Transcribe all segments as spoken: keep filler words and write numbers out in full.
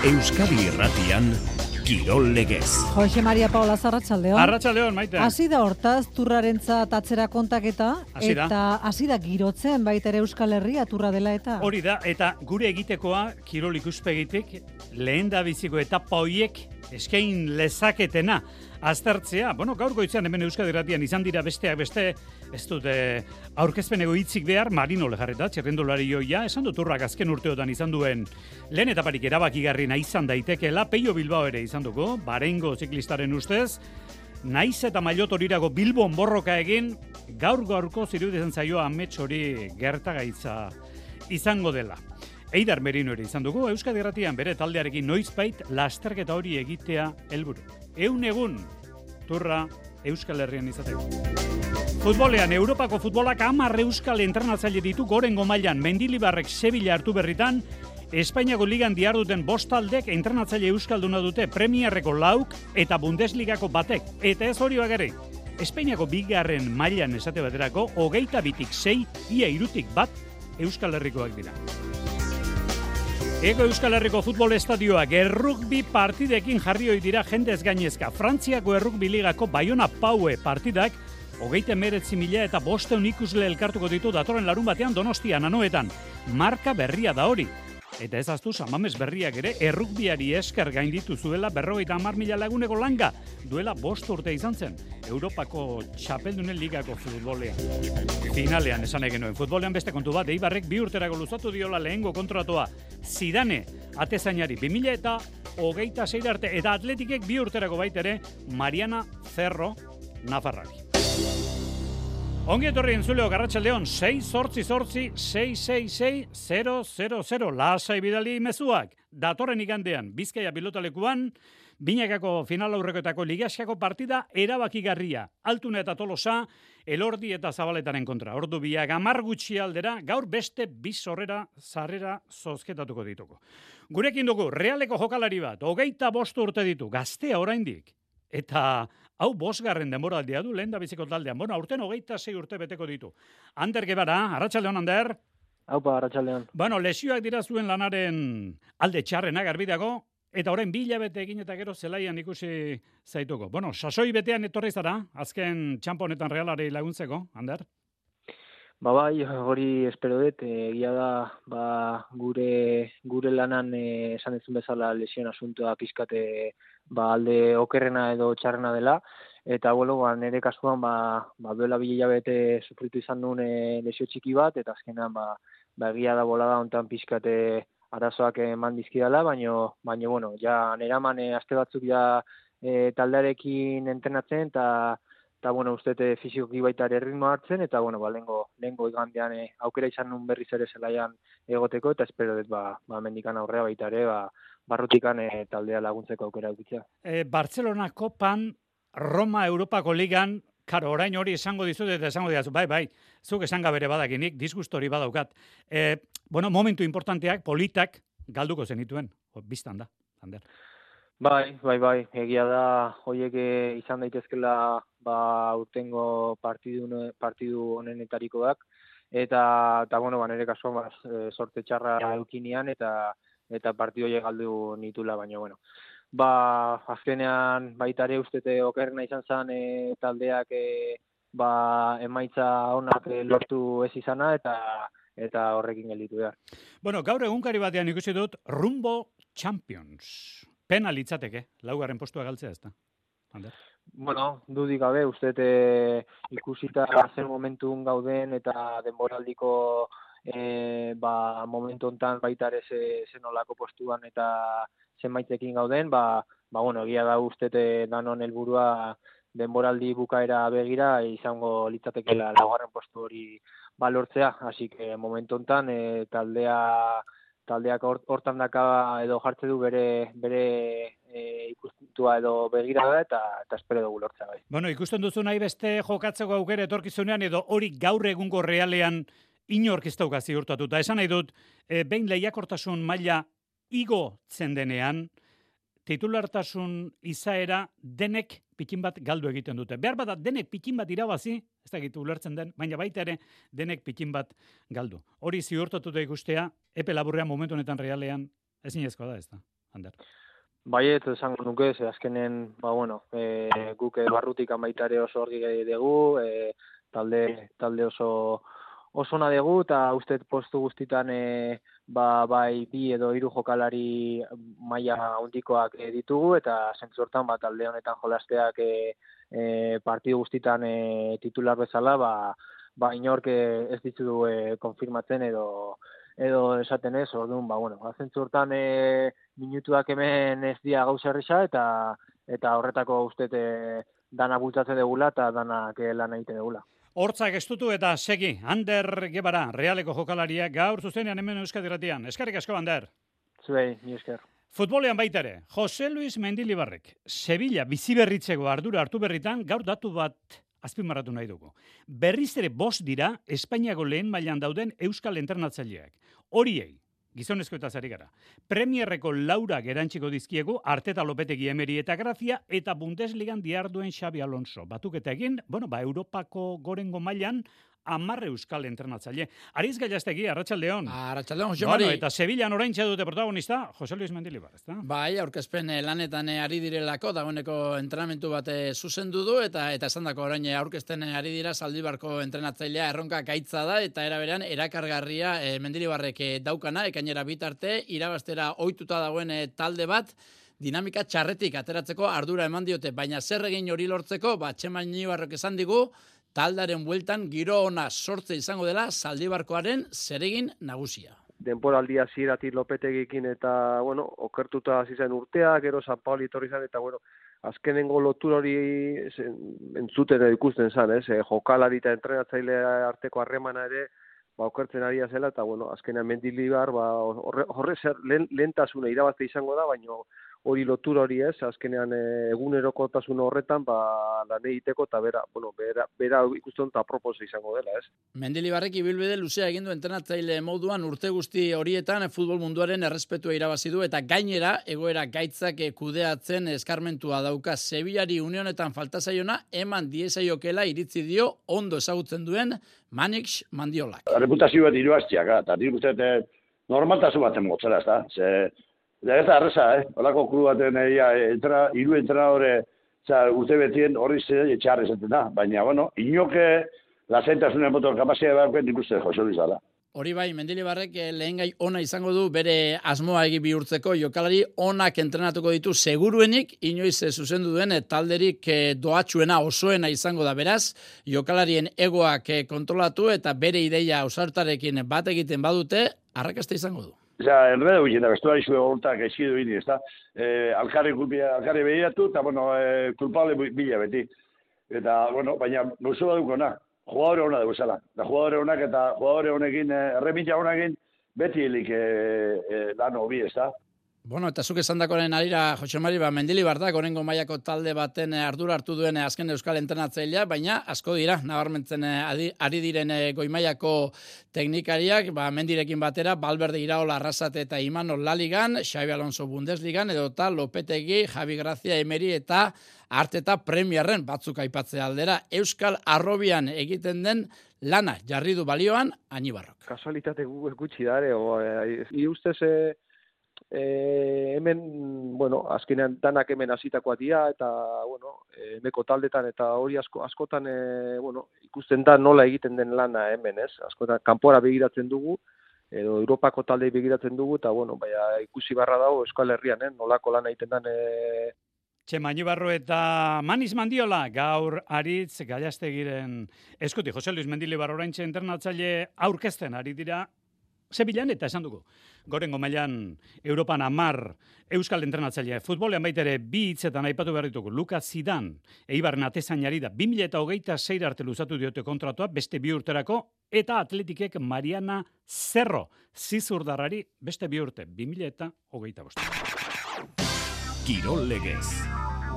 Euskadi Irratian Kirol Legez. Jose Maria Paula Arratsaldeon. Arratsaldeon, Maite. Hasi da hortaz turrarentzat atzera kontaketa Hasi da. eta hasi da girotzen baita ere Euskal Herria turra dela eta. Hori da, eta gure egitekoa kirol ikuspegitik lehen da biziko etapa hoiek eskain lezaketena aztertzea. Bueno, gaur goizean hemen Euskadi Irratian izan dira besteak beste, ez dute aurkezpenego hitzik behar, Marino Lejarreta, txerrendulari joia, esan dut urrak azken urteotan izan duen lehen etaparik erabakigarriena izan daitekeela, Peio Bilbao ere izan dugu, Barengo ziklistaren ustez, naiz eta Mailotorirako Bilbon borroka egin, gaur-gaurko ziruditzen zaioa amets hori gertagaitza izango dela. Eider Merino ere izan dugu, Euskadi Irratian bere taldearekin noizbait lasterketa hori egitea helburu. Eun egun turra Euskal Herrian izateko. Futbolean, Europako futbolak hamar euskal entrenatzaile ditu gorengo mailan, Mendilibarrek Sevilla hartu berritan, Espainiako ligan diharduten bost taldek entrenatzaile euskalduna dute, Premierreko lauk eta Bundesligako batek. Eta ez hori bakarrik, Espainiako bigarren mailan esate baterako, hogeita bitik sei, ia irutik bat Euskal Herrikoak dira. Ego Euskal Herriko futbol estadioak errugbi partidekin jarri hoi dira jendez gainezka. Frantziako errugbi ligako Bayona Paue partidak hogeita hemeretzi mila eta bosteun ikusle elkartuko ditu datorren larun batean Donostian anoetan. Marka berria da hori. Eta ez aztu, Samames berriak ere errugbiari esker gainditu zuela berrogeita hamar mila laguneko langa. Duela bost urte izan zen, Europako txapeldunen ligako futbolean. Finalean esan egin nuen, futbolean beste kontu bat, Eibarrek bi urterako luzatu diola lehengo kontratoa. Zidane, atezainari, bi mila eta hogeita sei arte, eta Atletikek bi urterako baitere, Mariana Cerro, Nafarrari. Ongi etorri entzuleok Arratsaldeon, sei zortzi zortzi sei sei sei zero zero zero. Lasai bidali mezuak. Datorren igandean, Bizkaia pilotalekuan, binakako final aurrekoetako ligaskako partida erabakigarria. Altuna eta Tolosa, Elordi eta Zabaletaren kontra. Ordu biak hamar gutxi aldera, gaur beste bi sorrera sarrera zozketatuko dituko. Gurekin dugu, Realeko jokalari bat, hogeita bost urte ditu, gaztea oraindik. Eta hau bosgarren denboraldia du, lehen da biziko taldean. Bueno, aurten hogeita sei urte beteko ditu. Ander Gebara, Arratsaldeon, Ander. Haupa, Arratsaldeon. Bueno, lesioak dira zuen lanaren alde txarrenak garbidago, eta orain bi hilabete egin eta gero zelaian ikusi zaituko. Bueno, sasoi betean etorri zara, azken txampo honetan Realari laguntzeko, Ander? Ba bai, hori espero dut, egia da, ba, gure gure lanan eh, esan ezun bezala lesion asuntoa pizkate ba alde okerrena edo txarrena dela, eta bueno, ba, nire kasuan ba, ba duela bi hilabete sufritu izan nuen e, lesio txiki bat, eta azkenan ba, ba egia da bolada hontan pizkate arazoak eman dizkidala, baino baino bueno, ja neraman e, aste batzuk ja e, taldearekin entrenatzen eta eta bueno, ustete fisikoki baita ere ritmo hartzen, eta bueno, ba lengo lengo igandean e, aukera izan nun berriz ere zelaian egoteko, eta espero dut ba ba mendikan aurrea baita ere ba barrutikan e, taldea laguntzeko aukera edukitzea. E, Barcelona Kopan, Roma Europako Ligan, karo, orain hori esango dizut eta esango diazu, bai, bai, zuk esan gabere badakinik, disgusto hori badaukat. E, bueno, momentu importanteak, politak, galduko zenituen, biztan da, Ander. Bai, bai, bai, egia da, hoiek izan daitezkela ba urtengo partidu partidu honenetarikoak, eta eta bueno, ba nere kasuan ba, sorte txarra edukinean eta eta partidu horiek galdu nitula, baina bueno. Ba, azkenean baita ere ustete okerrena izan zen e, taldeak e, ba emaitza onak e, lortu ez izana eta eta horrekin gelditu behar. Bueno, gaur egunkari batean ikusi dut Rumbo Champions. Pena litzateke, laugarren postua galtzea ez da. Ander? Bueno, dudik gabe, uste e, ikusita zer momentun gauden eta denboraldiko e, ba, momentu hontan baita ere zenolako postuan eta zenbaitekin gauden, ba, ba bueno, egia da uste danon helburua denboraldi bukaera begira izango litzatekeela laugarren postu hori balortzea, así que momentu hontan e, taldea taldeak hortan daka edo jartze du bere bere e, ikuspuntua edo begirada eta eta espero dugu lortzea bai. Bueno, ikusten duzu nahi beste jokatzeko aukera etorkizunean edo hori gaur egungo Realean inork ez dauka ziurtatuta. Esan nahi dut, e, behin lehiakortasun maila igotzen denean, titulartasun izaera denek pikin bat galdu egiten dute. Behar bada denek pikin bat irabazi, ez da gitu ulertzen den, baina baita ere denek pikin bat galdu. Hori ziurtatuta ikustea, epe laburrean momentu honetan Realean ezinezkoa da, ez da. Ander? Baiet, esango nuke, ze azkenen, ba, bueno, e, guk barrutik baitare oso horri dugu, e, talde, talde oso oso na dugu, eta uste postu guztitan e, ba, bai bi edo hiru jokalari maila handikoak e, ditugu, eta zentzu hortan ba, talde honetan jolasteak e, e, partidu guztitan e, titular bezala, ba, ba inork ez ditu e, konfirmatzen edo edo esaten ez, orduan, ba, bueno, zentzu hortan e, minutuak hemen ez dia gauza erresa, eta eta horretako uste e, dana bultzatzen degula, eta danak e, lan egiten degula. Hortzak estutu eta segi, Ander Gebara, Realeko jokalaria, gaur zuzenean hemen Euskadi Irratian. Eskerrik asko, Ander. Zuei, ni esker. Futbolean baita ere, Jose Luis Mendilibarrek, Sevilla biziberritzeko ardura hartu berritan, gaur datu bat azpimarratu nahi dugu. Berriz ere bost dira Espainiako lehen mailan dauden euskal entrenatzaileak. Horiei, gizonezko eta zari gara, Premierreko laurak erantziko dizkiegu Arteta Lopetegi Emeri eta Grazia eta Bundesligan diarduen Xabi Alonso. Batuketa egin, bueno, ba, Europako gorengo mailan amarre euskal entrenatzaile. Ariz Gallastegi, Arratsaldeon. Arratsaldeon, Jose Mari. Bueno, eta Sevillan oraintxe dute protagonista, Jose Luis Mendilibar, ezta? Bai, aurkezpen lanetan ari direlako, dagoeneko entrenamentu bat zuzendu du, eta eta esandako orain aurkezten ari dira Zaldibarko entrenatzailea erronka gaitza da, eta era berean erakargarria e, Mendilibarrek daukana, ekainera bitarte, irabaztera ohituta dagoen e, talde bat, dinamika txarretik ateratzeko ardura eman diote, baina zer egin hori lortzeko, ba, Txema Mendilibarrek esan digu, taldaren bueltan giro ona sortze izango dela Zaldibarkoaren zeregin nagusia. Denporaldia hasieratik Lopetegikin eta, bueno, okertuta hasi zen urtea, gero San Paoli etorri zen, eta, bueno, azkenengo lotura hori entzuten edo ikusten zen, ez? E, jokalari eta entrenatzaile arteko harremana ere, ba, okertzen ari zela, eta, bueno, azkenean Mendilibar, ba, horre, horre zer lehentasuna irabazte izango da, baina hori lotura hori ez, azkenean egunerokotasun horretan, ba, lan egiteko, eta bera, bueno, bera, bera ikusten eta proposa izango dela, ez? Mendilibarrek ibilbide luzea egin du entrenatzaile moduan urte guzti horietan futbol munduaren errespetua irabazi du, eta gainera egoera gaitzak kudeatzen eskarmentua dauka. Sevillari unionetan falta zaiona, eman diezaiokela iritzi dio ondo ezagutzen duen Manix Mandiolak. Reputazio bat irabaztiak, eta nik uste normaltasun baten motzera, ez da? Ze, da ez da arreza, eh? Olako klu baten egia, entra, iru entrenadore urte betien horri zer etxarri zaten da. Baina, bueno, inoke lasentasunen motor kapazia behar nik uste Jose Luis dala. Hori bai, Mendilibarrek lehen gai ona izango du bere asmoa egi bihurtzeko, jokalari onak entrenatuko ditu seguruenik, inoiz zuzendu duen talderik doatxuena osoena izango da beraz, jokalarien egoak kontrolatu eta bere ideia ausartarekin bat egiten badute, arrakasta izango du. Ja, enredo ginen, bestuari zue hortak eskidu bini, ez da? E, alkarri, alkarri behiratu, eta, bueno, e, kulpable bila beti. Eta, bueno, baina, gauzo badukona. Jugadore hona dugu zela. Da jugadore honak eta jugadore honekin, erremitza honekin, beti helik e, e, lan hobi, ez da? Bueno, eta zuk esandakoren arira, Jose Mari, ba, Mendilibar da, gorengo mailako talde baten ardura hartu duen azken euskal entrenatzailea, baina asko dira, nabarmentzen ari diren goi mailako teknikariak, ba, Mendirekin batera, Valverde Iraola Arrasate eta Imanol Laligan, Xabi Alonso Bundesligan, edo eta Lopetegi, Javi Grazia Emeri eta Arteta Premierren batzuk aipatzea aldera, euskal arrobian egiten den lana jarri du balioan Añibarrok. Kasualitate gutxi dare, o, e, e, ustez, e, E, hemen, bueno, azkenean danak hemen hasitakoa dira, eta, bueno, emeko taldetan, eta hori asko, askotan, e, bueno, ikusten da nola egiten den lana hemen, ez? Askotan, kanpora begiratzen dugu, edo Europako taldei begiratzen dugu, eta, bueno, baina ikusi barra dago Euskal Herrian, eh? Nolako lana egiten den... E... Txema Mendilibar eta Manix Mandiola, gaur Aritz Gallastegiren eskuti, Jose Luis Mendilibar oraintxe entrenatzaile aurkezten ari dira Sevillan, eta esan dugu, gorengo mailan Europan amar euskal entrenatzailea. Futbolean baitere bi hitzetan aipatu behar ditugu. Lucas Zidane, Eibarren atezainari da, bi mila hogeita sei arte luzatu diote kontratua, beste bi urterako, eta Atletikek Mariana Zerro, zizurdarrari, beste bi urte, bi mila hogeita bost. Kirol Legez.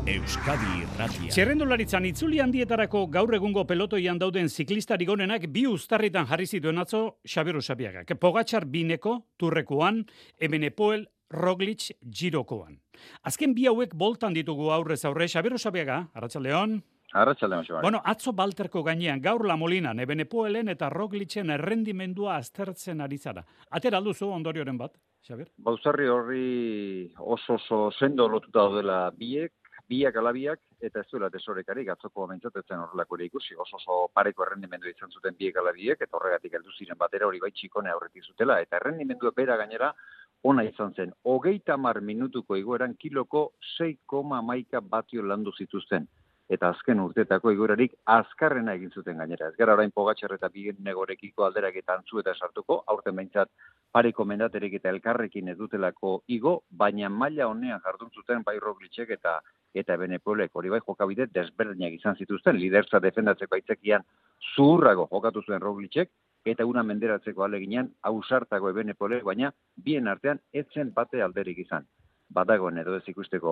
Euskadi Irratia. Txerrendularitzan itzuli handietarako gaur egungo pelotoian dauden ziklistari gonenak bi uztarritan jarri zituen atzo Xabier Usabiagak. Pogačar bineko, Turrekoan, Ebenepoel, Roglic, Girokoan. Azken bi hauek boltan ditugu aurrez aurre. Xabier Usabiaga, Arratsaldeon. Arratsaldeon, Xabar. Bueno, atzo Balterko gainean, gaur La Molinan, Ebenepoelen eta Roglicen errendimendua aztertzen ari zara. Atera alduzu ondorioren bat, Xabier? Bauzarri horri oso oso sendo lotuta daudela biek, biak alabiak, eta ez duela tesorekarik, atzoko mentzatetzen horrelako ere ikusi, oso oso pareko errendimendu izan zuten biek alabiek, eta horregatik heldu ziren batera hori bai txikone aurretik zutela, eta errendimendu bera gainera ona izan zen. Hogeita hamar minutuko igoeran kiloko sei koma hamaika batio landu zituzten. Eta azken urtetako igoerarik azkarrena egin zuten gainera. Ez gara orain Pogačar eta Binegorekiko alderak eta antzu eta sartuko, aurten behintzat pareko mendaterek eta elkarrekin ez dutelako igo, baina maila honean jardun zuten bai Roglicek eta eta Ebenepolek hori bai jokabide desberdinak izan zituzten, lidertza defendatzeko aitzakian zuhurrago jokatu zuen Roglicek, eta una menderatzeko aleginean ausartago Ebenepolek, baina bien artean etzen bate alderik izan. Badagoen edo ez ikusteko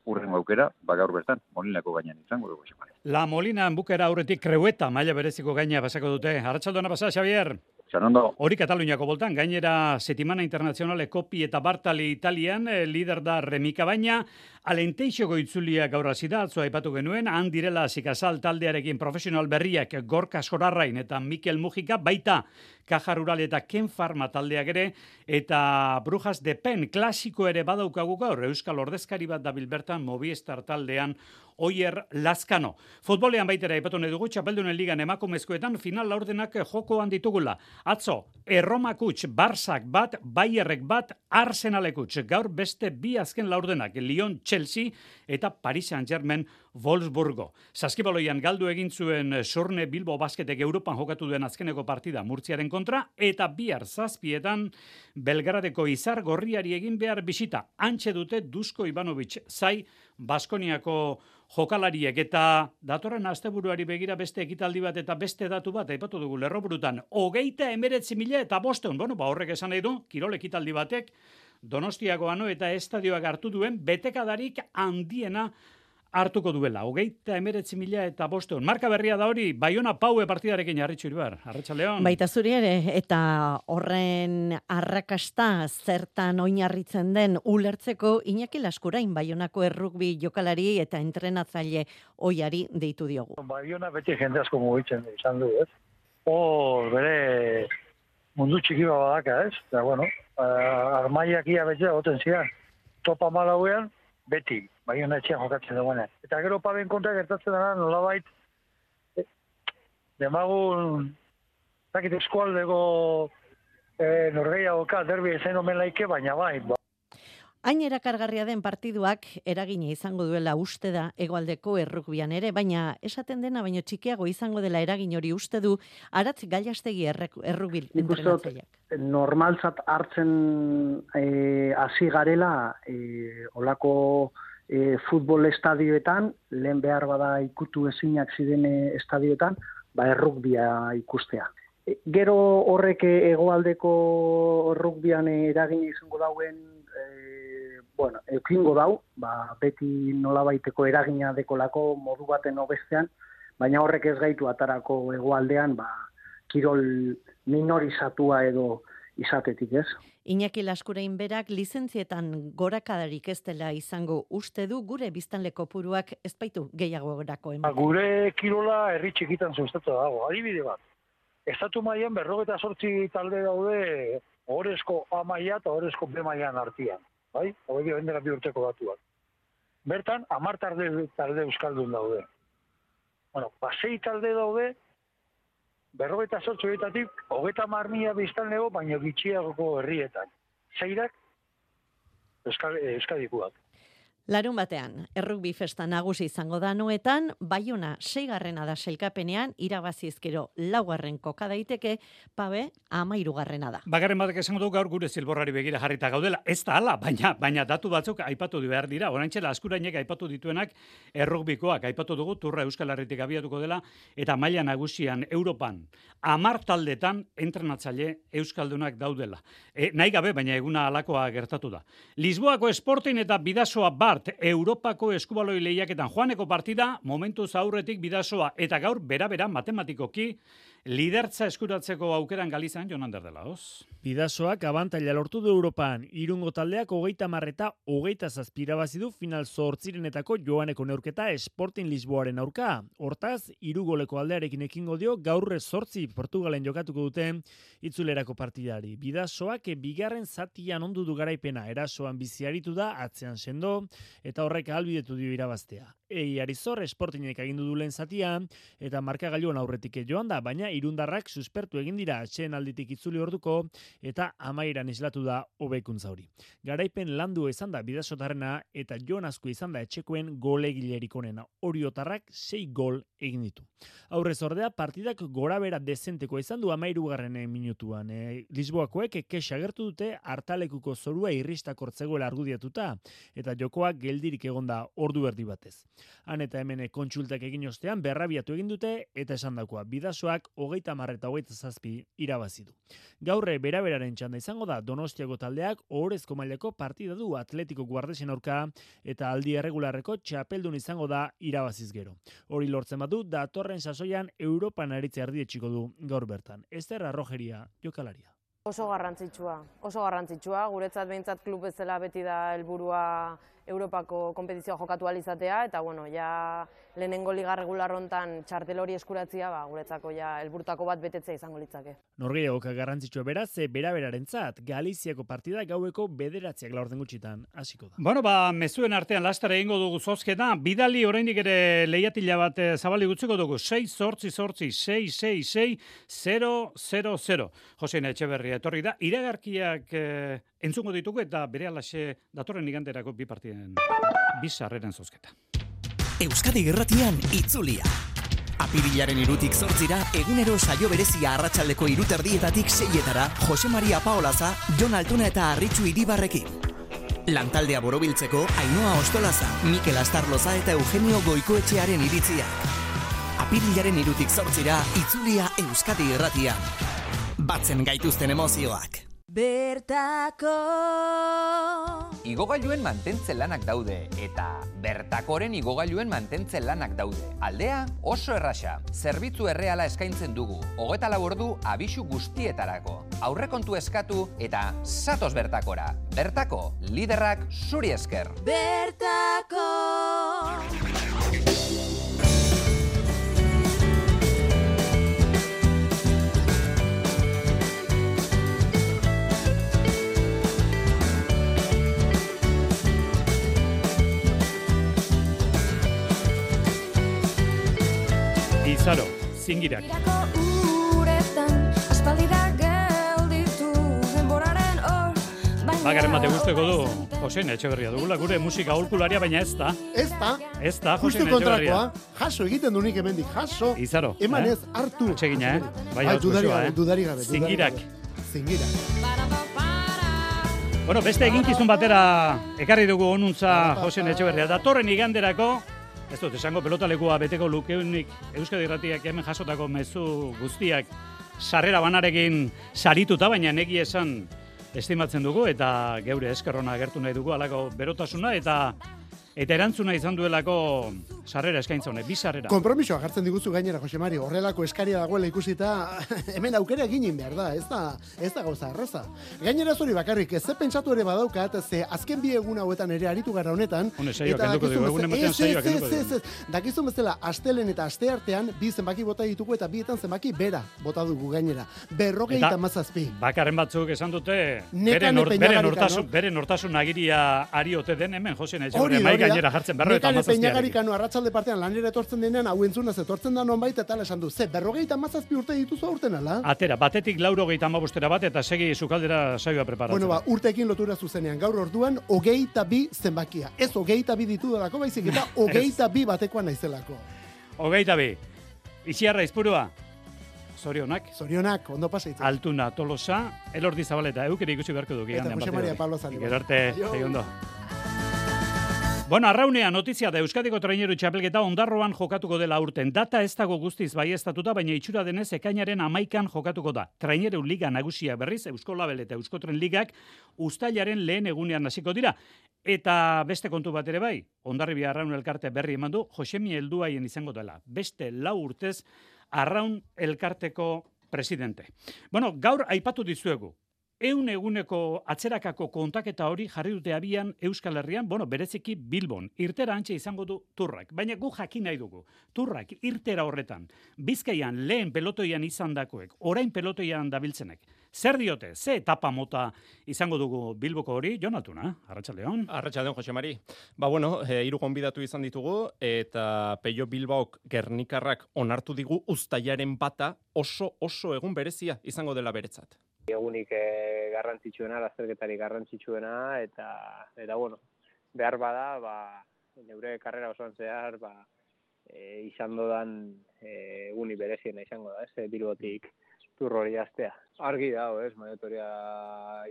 urrengo aukera, ba gaur bertan, Molinako gainean izango dugu. La Molina bukera aurretik Kreueta maila bereziko gaina pasako dute. Arratsaldona pasa, Xavier. Zanondo. Hori Kataluniako boltan, gainera Settimana Internazionale Kopi eta Bartali Italian, eh, lider da Remika baina, Alenteixoko itzulia gaur hasi da, atzo aipatu genuen, han direla Zikazal taldearekin profesional berriak Gorka Sorarrain eta Mikel Mujika, baita Kaja Rural eta Ken Farma taldeak ere, eta Brujas de Pen klasiko ere badaukagu gaur, Euskal Ordezkari bat dabil bertan Movistar taldean Oier Lazkano. Futbolean baitera aipatu nahi dugu, Txapeldunen ligan emakumezkoetan final laurdenak jokoan ditugula. Atzo, Erromak huts, Barsak bat, Bayerrek bat, Arsenalek huts. Gaur beste bi azken laurdenak, Lyon Chelsea eta Paris Saint-Germain Wolfsburgo. Saskibaloian galdu egin zuen Sorne Bilbo Basketek Europan jokatu duen azkeneko partida Murtziaren kontra, eta bihar zazpietan Belgradeko Izar Gorriari egin behar bisita. Antxe dute Dusko Ivanovic zai Baskoniako jokalariek, eta datorren asteburuari begira beste ekitaldi bat eta beste datu bat aipatu dugu lerroburutan. Hogeita emeretzi mila eta bosteun, bueno, ba horrek esan nahi du, kirol ekitaldi batek Donostiako Ano eta estadioak hartu duen betekadarik handiena hartuko duela. Hogeita emeretzi mila eta bosteun. Marka berria da hori, Baiona Paue partidarekin Arritxu Iribar. Arratsaldeon. Baita zuri ere, eta horren arrakasta zertan oinarritzen den ulertzeko Iñaki Laskurain Baionako errugbi jokalari eta entrenatzaile oiari deitu diogu. Baiona beti jende asko mugitzen izan du, ez? Hor, bere mundu txiki badaka, ez? Eta, bueno, armaiak ia beti goten zian. Topa malauean, beti, Baiona etxean jokatzen duguenean. Eta gero paben kontra gertatzen dara, nolabait, eh, demagun, zakit eskualdeko eh, norgeiagoka derbi ezen omen laike, baina bai. Ba. Hain erakargarria den partiduak eragina izango duela uste da hegoaldeko errugbian ere, baina esaten dena baino txikiago izango dela eragin hori uste du Aratz Gallastegi errugbi entrenatzaileak. Normaltzat hartzen hasi e, garela e, olako e, futbol estadioetan, lehen behar bada ikutu ezinak ziren estadioetan, ba errugbia ikustea. E, gero horrek hegoaldeko errugbian eragina izango dauen bueno, eukingo dau, ba, beti nolabaiteko eragina dekolako modu baten obestean, baina horrek ez gaitu atarako hegoaldean, ba, kirol minorizatua edo izatetik, ez? Iñaki Laskurain berak lizentzietan gorakadarik ez dela izango uste du gure biztanleko puruak ez baitu gehiago gorako ematen. Gure kirola herri txikitan sustatu dago, adibide bat. Estatu mailan berrogeta sortzi talde daude ohorezko A maila eta ohorezko B mailan artean. Bai, hori dio bendera bi urteko batuak. Bertan, hamar talde, talde euskaldun daude. Bueno, pasei talde daude, berrogeta sortzu horietatik, hogeta hamar mila biztanlego, baina gitxiagoko herrietan. Zeirak, euskal, euskadikuak. Larun batean, errugbi festa nagusi izango da noetan, Baiona seigarrena da sailkapenean, irabazizkero laugarren koka daiteke, Pabe amairugarrena da. Bagarren batek esango du gaur gure zilborrari begira jarrita gaudela. Ez da hala, baina baina datu batzuk aipatu du behar dira. Oraintxe Laskurainek aipatu dituenak errugbikoak aipatu dugu Turra Euskal Herritik abiatuko dela eta maila nagusian Europan hamar taldetan entrenatzaile euskaldunak daudela. E, nahi gabe, baina eguna halakoa gertatu da. Lisboako Sporting eta Bidasoa Bart Europako eskubaloi lehiaketan joaneko partida momentuz aurretik Bidasoa eta gaur bera-bera matematikoki lidertza eskuratzeko aukeran Galizan, Jonan Derdelaoz. Bidasoak abantaila lortu du Europan. Irungo taldeak hogeita marreta hogeita zazpirabazi du final zortzirenetako joaneko neurketa Sporting Lisboaren aurka. Hortaz, irugoleko aldearekin ekingo dio gaur zortzi Portugalen jokatuko dute itzulerako partidari. Bidasoak bigarren zatian ondu du garaipena, erasoan biziaritu da, atzean sendo, eta horrek ahalbidetu dio irabaztea. Ei Arizor Sportingek agindu du lehen zatia, eta markagailuan aurretik joan da, baina irundarrak suspertu egin dira atxeen alditik itzuli orduko, eta amairan islatu da hobekuntza hori. Garaipen landu izan da bidasotarrena, eta Jon Azkue izan da etxekoen golegilerik onena. Oriotarrak sei gol egin ditu. Aurrez ordea, partidak gorabera dezenteko izan du amairugarren minutuan. E, Lisboakoek kexa agertu dute hartalekuko zorua irristakortzegoela argudiatuta, eta jokoak geldirik egonda ordu erdi batez. Han eta hemen kontsultak egin ostean berrabiatu egin dute eta esandakoa bidasoak hogeita hamar eta hogeita zazpi irabazi du. Gaurre beraberaren txanda izango da Donostiako taldeak ohorezko mailako partida du Atletico Guardesen aurka eta aldi erregularreko txapeldun izango da irabaziz gero. Hori lortzen badu datorren sasoian Europan aritze erdietsiko du gaur bertan. Ester Arrojeria jokalaria. Oso garrantzitsua, oso garrantzitsua, guretzat behintzat klub bezala beti da helburua Europako konpetizioa jokatu alizatea, eta bueno, ja lehenengo liga regular hontan txartel hori eskuratzia, ba, guretzako ja helburutako bat betetzea izango litzake. Norgehiagoka garrantzitsua beraz, beraberarentzat, Galiziako partida gaueko bederatziak laurden gutxitan hasiko da. Bueno, ba, mezuen artean lastara egingo dugu zozketa, bidali oraindik ere lehiatila bat zabali gutziko dugu, sei zortzi zortzi, sei sei sei, zero zero zero. Josein Etxeberria etorri da, iragarkiak eh, entzungo ditugu eta bere alaxe datorren iganderako bi partiden bi sarreren zozketa. Euskadi Irratian itzulia. Apirilaren irutik zortzira, egunero saio berezia arratsaldeko iruterdietatik seietara, Jose Maria Paolaza, Jon Altuna eta Arritxu Iribarrekin. Lantaldea borobiltzeko, Ainhoa Ostolaza, Mikel Astarloza eta Eugenio Goikoetxearen iritzia. Apirilaren irutik zortzira, itzulia Euskadi Irratian. Batzen gaituzten emozioak. Bertako Igogailuen mantentze lanak daude, eta Bertakoren igogailuen mantentze lanak daude. Aldea oso erraxa, zerbitzu erreala eskaintzen dugu, hogeta lau ordu abisu guztietarako. Aurrekontu eskatu eta zatoz Bertakora. Bertako, liderrak zuri esker. Bertako Izaro, zingirak. Bagaren bate guzteko du, Josein Etxeberria dugula, gure musika aholkularia, baina ez da. Ez da. Ez da, Josein Etxeberria. Jaso egiten dunik hemendik, jaso. Izaro. Eman eh? ez, hartu. Atsegina, eh? Bai, Bai, dudari gabe, eh? dudari gabe. Zingirak. Zingirak. Bueno, beste eginkizun batera ekarri dugu onuntza Josein Etxeberria. Datorren iganderako, ez dut, esango pelotalekua beteko lukeunik Euskadi Irratiak hemen jasotako mezu guztiak sarrera banarekin sarituta, baina negi esan estimatzen dugu eta geure eskerrona agertu nahi dugu alako berotasuna eta eta erantzuna izan duelako sarrera eskaintza honek, bi sarrera. Konpromisoa jartzen diguzu gainera, Jose Mari, horrelako eskaria dagoela ikusita, hemen aukera egin behar da, ez da, ez da gauza erraza. Gainera zuri bakarrik, ez ze pentsatu ere badaukat, ze azken bi egun hauetan ere aritu gara honetan, Hone saioak enduko dugu, egun ematean saioak enduko dugu. Dakizun bezala, astelen eta aste artean, bi zenbaki bota ditugu eta bietan zenbaki bera bota dugu gainera. Berrogeita mazazpi. Bakarren batzuk esan dute, bere nortasun, bere nortasun agiria ari ote den hemen, Josein Etxeberria, mai gainera jartzen, berrogeita mazazpi. Peñagarikano arratsalde partean lanera etortzen denean, hau entzunaz etortzen da nonbait eta esan du, ze, berrogeita mazazpi urte dituzu aurten ala? Atera, batetik laurogeita hamabostera bat eta segi sukaldera saioa preparatzen. Bueno, ba, urteekin lotura zuzenean, gaur orduan, hogeita bi zenbakia. Ez hogeita bi ditu delako, baizik eta hogeita bi batekoa naizelako. Hogeita bi. Iziarra izpurua. Zorionak. Zorionak, ondo pasaitzen. Altuna, Tolosa, Elordi Zabaleta, eukeri ikusi beharko du. Eta Jose Maria Pablo Zani. Gero arte, segi ondo. Bueno, arraunea notizia da Euskadiko traineru txapelketa ondarroan jokatuko dela urten. Data ez dago guztiz baieztatuta, baina itxura denez ekainaren amaikan jokatuko da. Traineru liga nagusia berriz, Eusko Label eta Euskotren ligak uztailaren lehen egunean hasiko dira. Eta beste kontu bat ere bai, Hondarribia Arraun elkarte berri eman du, Josemi helduaien izango dela. Beste lau urtez Arraun elkarteko presidente. Bueno, gaur aipatu dizuegu. Eun eguneko atzerakako kontaketa hori jarri dute abian Euskal Herrian, bueno, bereziki Bilbon, irtera antxe izango du turrak. Baina gu jakin nahi dugu, turrak irtera horretan, Bizkaian lehen pelotoian izan dakoek, orain pelotoian dabiltzenek. Zer diote, ze etapa mota izango dugu Bilboko hori, Jon Altuna, Arratsaldeon. Arratsaldeon, Jose Mari. Ba bueno, e, hiru gonbidatu izan ditugu, eta Peio Bilbaok Gernikarrak onartu digu uztailaren bata oso oso egun berezia izango dela beretzat. Egunik e, garrantzitsuena, lasterketari garrantzitsuena, eta, eta bueno, behar bada, ba, neure karrera osoan zehar, ba, e, izan dodan e, egunik bereziena izango da, ez, Bilbotik tur hori jaztea. Argi dago, ez, maratoria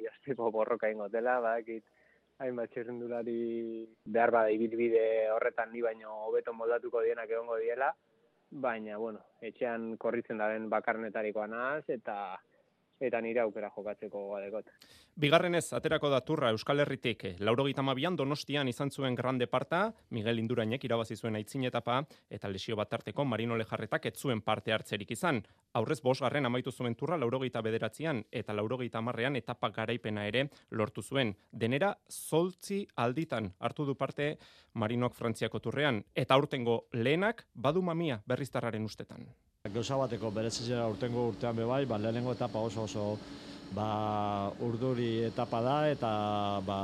jazteko borroka ingo dela, badakit, hainbat txirrindulari behar bada ibilbide horretan ni baino hobeto moldatuko dienak egongo diela, baina, bueno, etxean korritzen daren bakarnetarikoa naz, eta eta nire aukera jokatzeko gadekot. Bigarrenez, aterako da turra Euskal Herritik, laurogeita hamabian Donostian izan zuen grande parta, Miguel Indurainek irabazi zuen aitzin etapa, eta lesio bat tarteko Marino Lejarretak ez zuen parte hartzerik izan. Aurrez bosgarren amaitu zuen turra laurogeita bederatzian, eta laurogeita hamarrean etapa garaipena ere lortu zuen. Denera, zortzi alditan hartu du parte Marinok Frantziako turrean, eta aurtengo lehenak badu mamia berriztarraren ustetan. Gauza bateko berezizera urtengo urtean bebai, ba, lehenengo etapa oso oso ba, urduri etapa da, eta ba,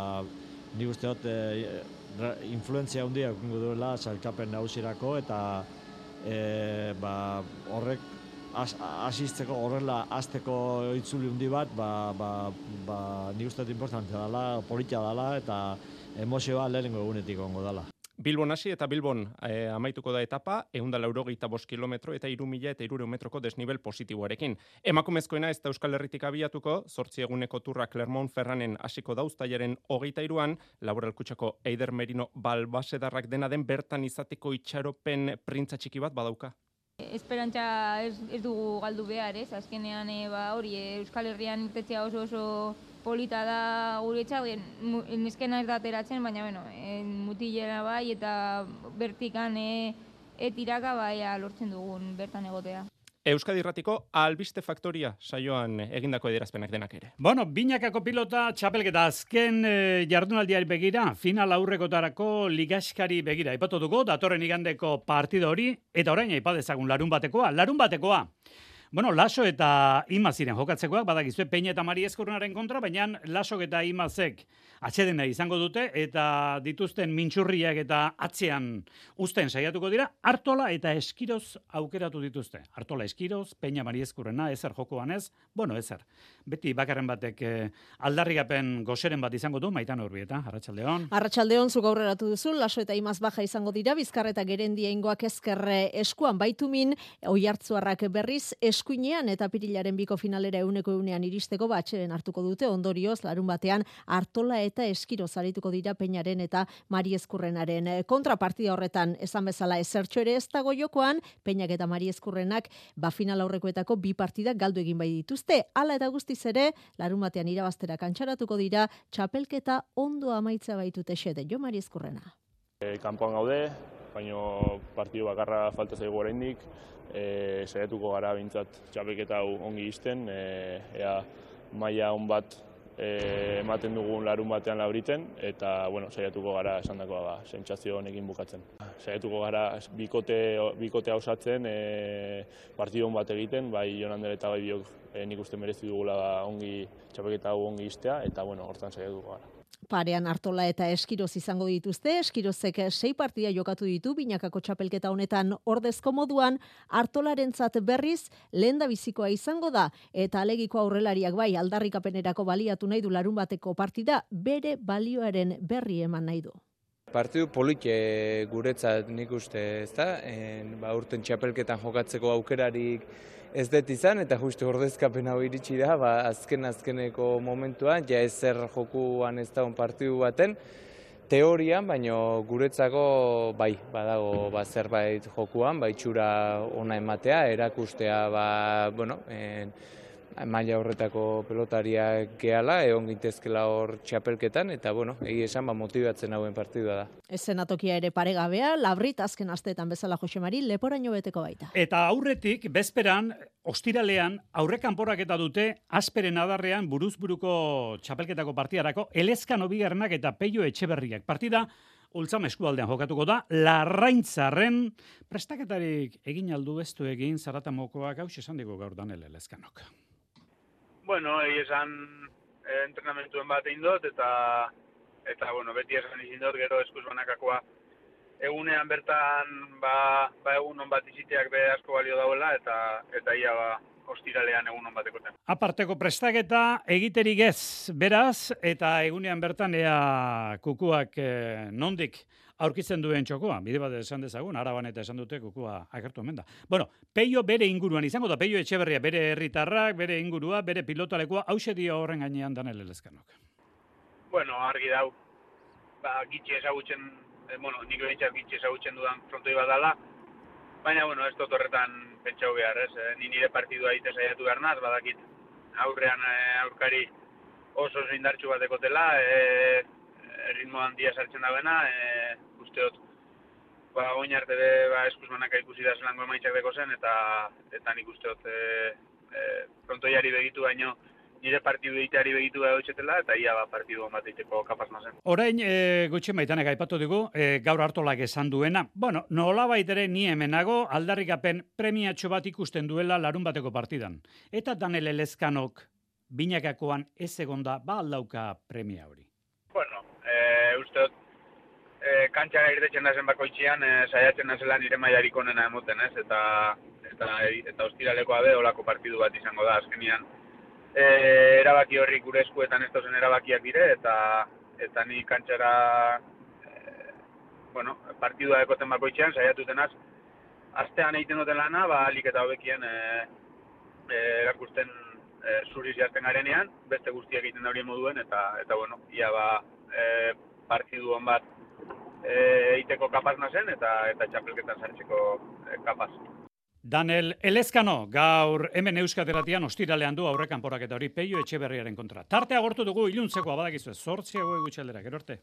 ni uste dut e, influentzia handia ekingo duela sailkapen nagusirako, eta e, ba, horrek asizteko, horrela azteko itzuli handi bat, ba, ba, ba, ni uste dut importantzia dela, politia dela, eta emozioa lehenengo egunetik ongo dela. Bilbon hasi eta Bilbon eh, amaituko da etapa, ehun eta laurogeita bost kilometro eta hiru mila eta hirurehun metroko desnivel positiboarekin. Emakumezkoena ez da Euskal Herritik abiatuko, zortzi eguneko turra Clermont-Ferranen hasiko da uztailaren hogeita hiruan, Laboral Kutxako Eider Merino Balbasedarrak dena den bertan izateko itxaropen printza txiki bat badauka. Esperantza ez, ez dugu galdu behar, ez? Azkenean e, ba, hori Euskal Herrian irtetzea oso oso polita da guretzat, neskena ez da ateratzen, baina bueno, mutilera bai eta bertikan e, etiraka bai lortzen dugun bertan egotea. Euskadi Irratiko Albiste Faktoria saioan egindako adierazpenak denak ere. Bueno, binakako pilota txapelketa azken e, jardunaldiari begira, final aurrekotarako ligaskari begira. Aipatu dugu, datorren igandeko partida hori, eta orain aipadezagun larun batekoa. Larun batekoa. Bueno, Laso eta Imaz ziren jokatzekoak, badakizue Peña eta Mari Eskurrenaren kontra, baina Lasok eta Imazek atsedena izango dute, eta dituzten mintxurriak eta atzean uzten saiatuko dira, Artola eta Eskiroz aukeratu dituzte. Artola Eskiroz, Peña Mari Eskurrena, ezer jokoan ez, bueno, ezer. Beti bakarren batek eh, aldarrigapen gozeren bat izango du, Maitan Urbieta, Arratsaldeon. Arratsaldeon, zuk aurreratu duzu, Laso eta Imaz baja izango dira, Bizkarra eta Gerendia ingoak ezkerre eskuan baitumin, Oiartzuarrak berriz eskuinean eta Apirilaren biko finalera euneko eunean iristeko batxeren hartuko dute, ondorioz larun batean Artola eta Eskiroz arituko dira Peñaren eta Mari Eskurrenaren kontrapartida horretan esan bezala ezertxo ere ez dago jokoan, Peñak eta Mari Eskurrenak ba final aurrekoetako bi partidak galdu egin bai dituzte, hala eta guztiz ere larun batean irabaztera kantxaratuko dira, txapelketa ondo amaitza baitute xede, Jo Mari Eskurrena. E, kanpoan gaude, baino partidu bakarra falta zaigu oraindik, e, saiatuko gara bintzat txapelketa hau ongi izten, e, ea maila on bat e, ematen dugun larun batean labriten, eta bueno, saiatuko gara esandakoa ba, sentsazio honekin bukatzen. Saiatuko gara bikote, bikotea osatzen, e, partidu on bat egiten, bai Jonander eta bai biok e, nik uste merezi dugula ba, ongi txapelketa hau ongi iztea, eta bueno, hortan saiatuko gara. Parean Artola eta Eskiroz izango dituzte, Eskirozek sei partida jokatu ditu, binakako txapelketa honetan ordezko moduan, Artolarentzat berriz lehenda bizikoa izango da, eta alegiko aurrelariak bai aldarrikapenerako baliatu nahi du larun bateko partida, bere balioaren berri eman nahi du. Partidu polite guretzat nik uste, ezta? Ba, urten txapelketan jokatzeko aukerarik ez dut izan, eta justu ordezkapen hau iritsi da, ba, azken azkeneko momentuan, ja ezer jokuan ez daun partidu baten, teorian, baino guretzako bai, badago ba, zerbait jokuan, ba, itxura ona ematea, erakustea, ba, bueno, en, maila horretako pelotariak gehala, egon gintezkela hor txapelketan, eta bueno, egi esan ba, motibatzen hauen partidua da. Eszenatokia ere paregabea, labrit azken asteetan bezala Josemari leporaino beteko baita. Eta aurretik, bezperan, ostiralean, aurrekanporaketa dute, asperen adarrean buruzburuko txapelketako partidarako, Elezkano bigarrenak eta Peio Etxeberriak. Partida, Ultzam eskualdean jokatuko da, Larraintzarren prestaketarik egin aldu ez du egin Zaratamokoak hau esan digu gaur Danel Elezkanok. Bueno, egi esan eh, entrenamentuen bat egin dut, eta, eta bueno, beti esan izin dut, gero eskuz banakakoa. Egunean bertan, ba, ba egun on bat iziteak be asko balio dauela, eta, eta ia ba, ostiralean egun on batekoten. Aparteko prestaketa egiterik ez, beraz, eta egunean bertan ea kukuak eh, nondik aurkitzen duen txokoa, bide bat esan dezagun, Araban eta esan dute kukua agertu hemen da. Bueno, Peio bere inguruan izango da, Peio Etxeberria bere herritarrak, bere ingurua, bere pilotalekua, hause dio horren gainean Danel Elezkanok. Bueno, argi dau, ba, gitxi ezagutzen, eh, bueno, nik behintzat gitxi ezagutzen dudan frontoi bat dala, baina, bueno, ez dut horretan pentsau behar, ez, eh? Ni nire partidua ite saiatu behar naz, badakit aurrean eh, aurkari oso oso indartxu bat ekotela, eh, ritmo handia sartzen da bena, e, usteot, ba, oin arte be, ba, eskuzmanaka ikusi da zelango emaitzak deko zen, eta, eta nik usteot, e, e, frontoiari begitu baino, nire partidu egiteari begitu da dutxetela, eta ia ba, partidu bat egiteko kapaz nazen. Orain, e, gutxi maitanek aipatu dugu, e, gaur hartolak esan duena, bueno, nolabait ere ni hemenago, aldarrikapen premiatxo bat ikusten duela larun bateko partidan. Eta Danel Elezkanok binakakoan ez egonda, ba aldauka premia hori. Bueno, e, usteot, e, kantxara irtetzen nazen bakoitzian, e, saiatzen nazela nire mailarik onena emoten, ez? Eta, eta, eta ostiralekoa be, olako partidu bat izango da, azkenian. E, erabaki horrik gure eskuetan ez dozen erabakiak dire, eta, eta ni kantxara, e, bueno, partidua ekoten bakoitzian, saiatuten az, astean egiten duten lana, ba, alik eta hobekien e, e, erakusten e, zuriz jazten garenean, beste guztiak egiten daurien moduen, eta, eta bueno, ia ba, e, partidu hon bat e, eiteko kapaz nazen, eta, eta txapelketan sartzeko e, kapaz. Danel Elezkano, gaur hemen Euskateratian ostiralean du aurrekanporaketa hori Peio Etxeberriaren kontra. Tarte agortu dugu iluntzekoa badakizu, zortziago egutxaldera, gero arte.